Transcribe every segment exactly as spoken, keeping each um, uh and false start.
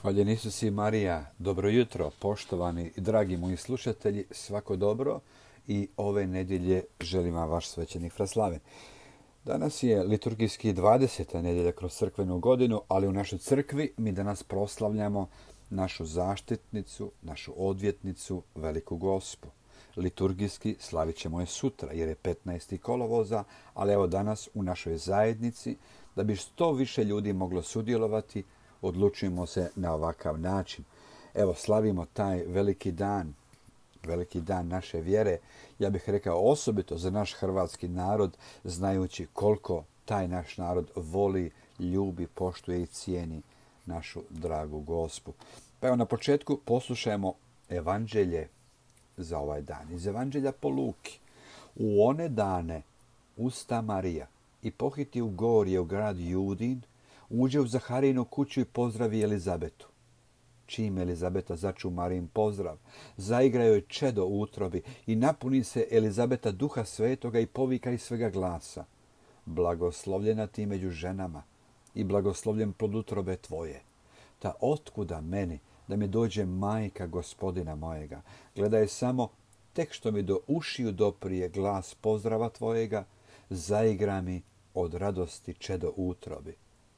Hvaljen Isus i Marija, dobro jutro, poštovani i dragi moji slušatelji, svako dobro i ove nedjelje želim vam vaš svećenik Fraslaven. Danas je liturgijski dvadeseta nedjelja kroz crkvenu godinu, ali u našoj crkvi mi danas proslavljamo našu zaštitnicu, našu odvjetnicu, Veliku Gospu. Liturgijski slavit ćemo je sutra jer je petnaesti kolovoza, ali evo danas u našoj zajednici, da bi što više ljudi moglo sudjelovati, odlučujemo se na ovakav način. Evo, slavimo taj veliki dan, veliki dan naše vjere. Ja bih rekao osobito za naš hrvatski narod, znajući koliko taj naš narod voli, ljubi, poštuje i cijeni našu dragu Gospu. Pa evo na početku poslušajmo evanđelje za ovaj dan. Iz evanđelja po Luki. U one dane usta Marija i pohiti u gorje u grad Judin, uđe u Zaharijinu kuću i pozdravi Elizabetu. Čim Elizabeta začu Marijin pozdrav, zaigra joj čedo u utrobi i napuni se Elizabeta duha svetoga i povika iz svega glasa. Blagoslovljena ti među ženama i blagoslovljen plod utrobe tvoje. Ta otkuda meni da mi dođe majka Gospodina mojega? Gledaj samo, tek što mi do ušiju doprije glas pozdrava tvojega, zaigra mi od radosti čedo u utrobi.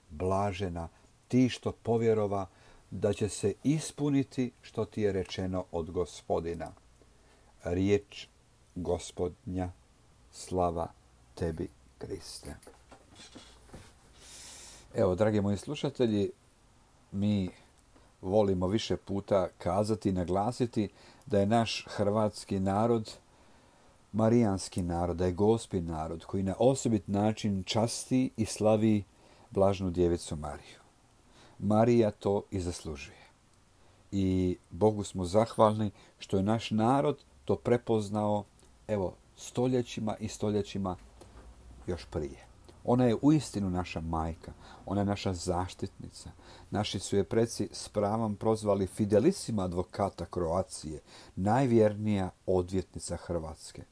Blažena ti što povjerova da će se ispuniti što ti je rečeno od Gospodina. Riječ Gospodnja, slava tebi, Kriste. Evo, dragi moji slušatelji, mi volimo više puta kazati i naglasiti da je naš hrvatski narod marijanski narod, da je Gospin narod koji na osobit način časti i slavi blažnu djevicu Mariju. Marija to i zaslužuje. I Bogu smo zahvalni što je naš narod to prepoznao, evo, stoljećima i stoljećima još prije. Ona je uistinu naša majka, ona je naša zaštitnica. Naši su je preci s pravom prozvali fidelissima advokata Kroacije, najvjernija odvjetnica Hrvatske.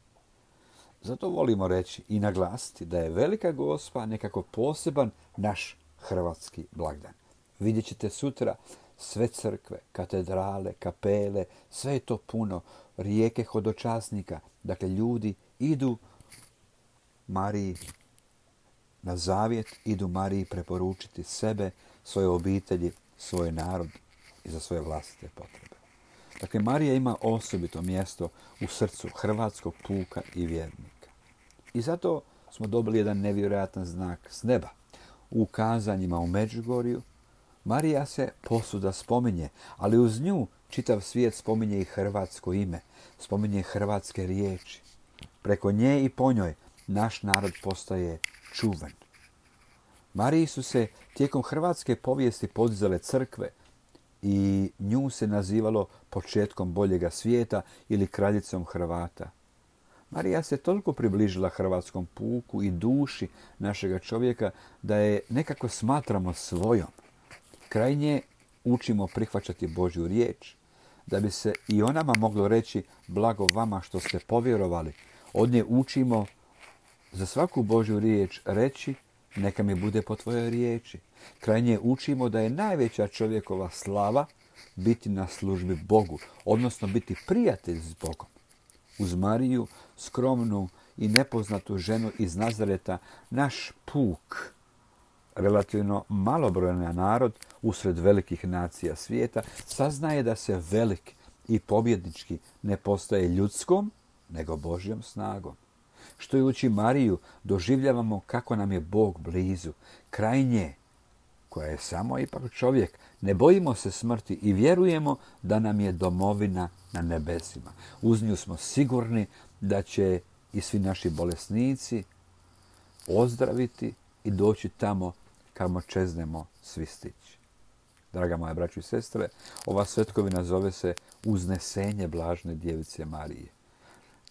Zato volimo reći i naglasiti da je Velika Gospa nekako poseban naš hrvatski blagdan. Vidjet ćete sutra sve crkve, katedrale, kapele, sve je to puno, rijeke hodočasnika. Dakle, ljudi idu Mariji na zavjet, idu Mariji preporučiti sebe, svoje obitelji, svoj narod i za svoje vlastite potrebe. Dakle, Marija ima osobito mjesto u srcu hrvatskog puka i vjernika. I zato smo dobili jedan nevjerojatan znak s neba. U kazanjima u Međugorju Marija se posuda spominje, ali uz nju čitav svijet spominje i hrvatsko ime, spominje hrvatske riječi. Preko nje i po njoj naš narod postaje čuvan. Mariji su se tijekom hrvatske povijesti podizale crkve i nju se nazivalo početkom boljega svijeta ili kraljicom Hrvata. Marija se toliko približila hrvatskom puku i duši našega čovjeka da je nekako smatramo svojom. Kraj nje učimo prihvaćati Božju riječ, da bi se i o nama moglo reći blago vama što ste povjerovali. Od nje učimo za svaku Božju riječ reći neka mi bude po tvojoj riječi. Kraj nje učimo da je najveća čovjekova slava biti na službi Bogu, odnosno biti prijatelj s Bogom. Uz Mariju, skromnu i nepoznatu ženu iz Nazareta, naš puk, relativno malobrojan narod usred velikih nacija svijeta, saznaje da se velik i pobjednički ne postaje ljudskom, nego Božjom snagom. Štujući Mariju, doživljavamo kako nam je Bog blizu, kraj nje, koja je samo ipak čovjek. Ne bojimo se smrti i vjerujemo da nam je domovina na nebesima. Uz nju smo sigurni da će i svi naši bolesnici ozdraviti i doći tamo kamo čeznemo svi stići. Draga moja braćo i sestre, ova svetkovina zove se Uznesenje blažne djevice Marije.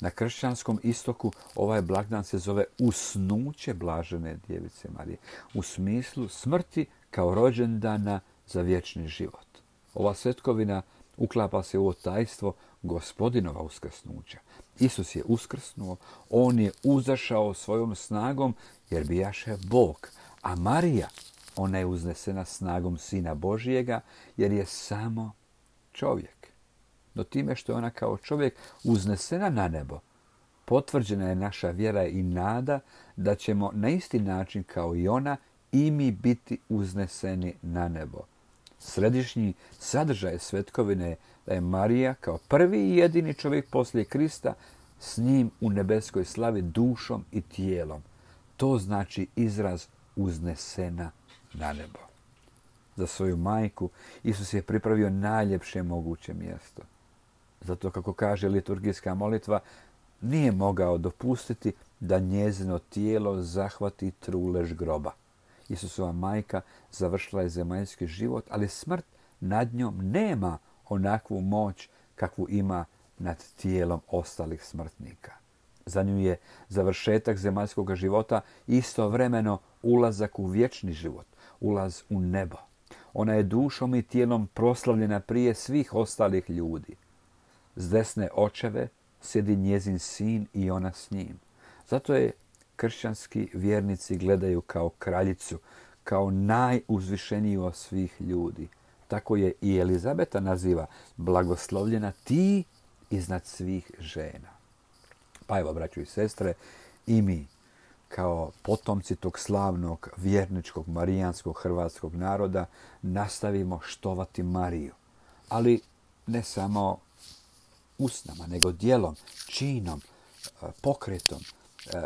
Na kršćanskom istoku ovaj blagdan se zove Usnuće blažene djevice Marije, u smislu smrti kao rođendana za vječni život. Ova svetkovina uklapa se u ovo tajstvo Gospodinova uskrsnuća. Isus je uskrsnuo, on je uzašao svojom snagom jer bijaše Bog, a Marija Ona je uznesena snagom Sina Božijega, jer je samo čovjek. No time što je ona kao čovjek uznesena na nebo, potvrđena je naša vjera i nada da ćemo na isti način kao i ona i mi biti uzneseni na nebo. Središnji sadržaj svetkovine je da je Marija kao prvi i jedini čovjek poslije Krista s njim u nebeskoj slavi dušom i tijelom. To znači izraz uznesena na nebo. Za svoju majku Isus je pripravio najljepše moguće mjesto. Zato, kako kaže liturgijska molitva, nije mogao dopustiti da njezino tijelo zahvati trulež groba. Isusova majka završila je zemaljski život, ali smrt nad njom nema onakvu moć kakvu ima nad tijelom ostalih smrtnika. Za nju je završetak zemaljskog života istovremeno ulazak u vječni život, ulaz u nebo. Ona je dušom i tijelom proslavljena prije svih ostalih ljudi. S desne očeve sjedi njezin sin i ona s njim. Zato je kršćanski vjernici gledaju kao kraljicu, kao najuzvišeniju od svih ljudi. Tako je i Elizabeta naziva blagoslovljena ti iznad svih žena. Pa evo, braćo i sestre, i mi kao potomci tog slavnog vjerničkog marijanskog hrvatskog naroda nastavimo štovati Mariju. Ali ne samo usnama, nego djelom, činom, pokretom,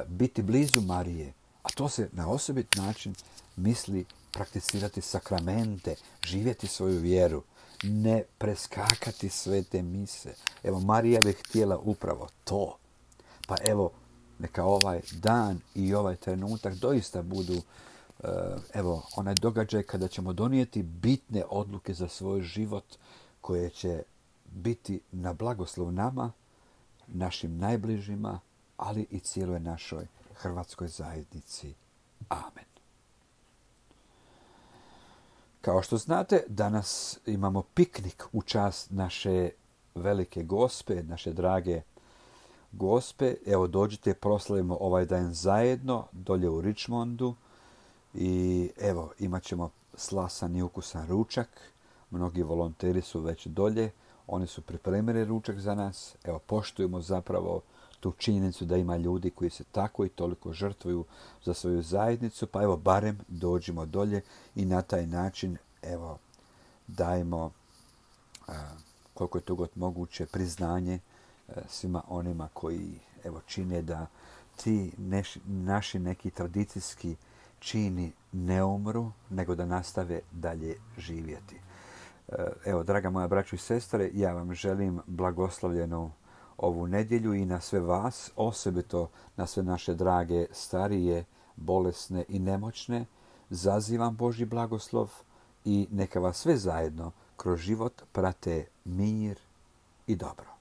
biti blizu Marije. A to se na osobit način misli prakticirati sakramente, živjeti svoju vjeru, ne preskakati svete mise. Evo, Marija bi htjela upravo to. Pa evo, neka ovaj dan i ovaj trenutak doista budu evo, onaj događaj kada ćemo donijeti bitne odluke za svoj život koje će biti na blagoslov nama, našim najbližima, ali i cijeloj našoj hrvatskoj zajednici. Amen. Kao što znate, danas imamo piknik u čast naše velike gospe, naše drage gospe. Evo, dođite, proslavimo ovaj dan zajedno dolje u Richmondu i evo, imat ćemo slasan i ukusan ručak. Mnogi volonteri su već dolje. Oni su pripremili ručak za nas. Evo, poštujemo zapravo tu činjenicu da ima ljudi koji se tako i toliko žrtvuju za svoju zajednicu. Pa evo, barem dođimo dolje i na taj način, evo, dajmo a, koliko je to god moguće priznanje a, svima onima koji, evo, čine da ti neš, naši neki tradicijski čini ne umru, nego da nastave dalje živjeti. Evo, draga moja braćo i sestre, ja vam želim blagoslovljenu ovu nedjelju i na sve vas, osobito na sve naše drage, starije, bolesne i nemoćne, zazivam Božji blagoslov i neka vas sve zajedno kroz život prate mir i dobro.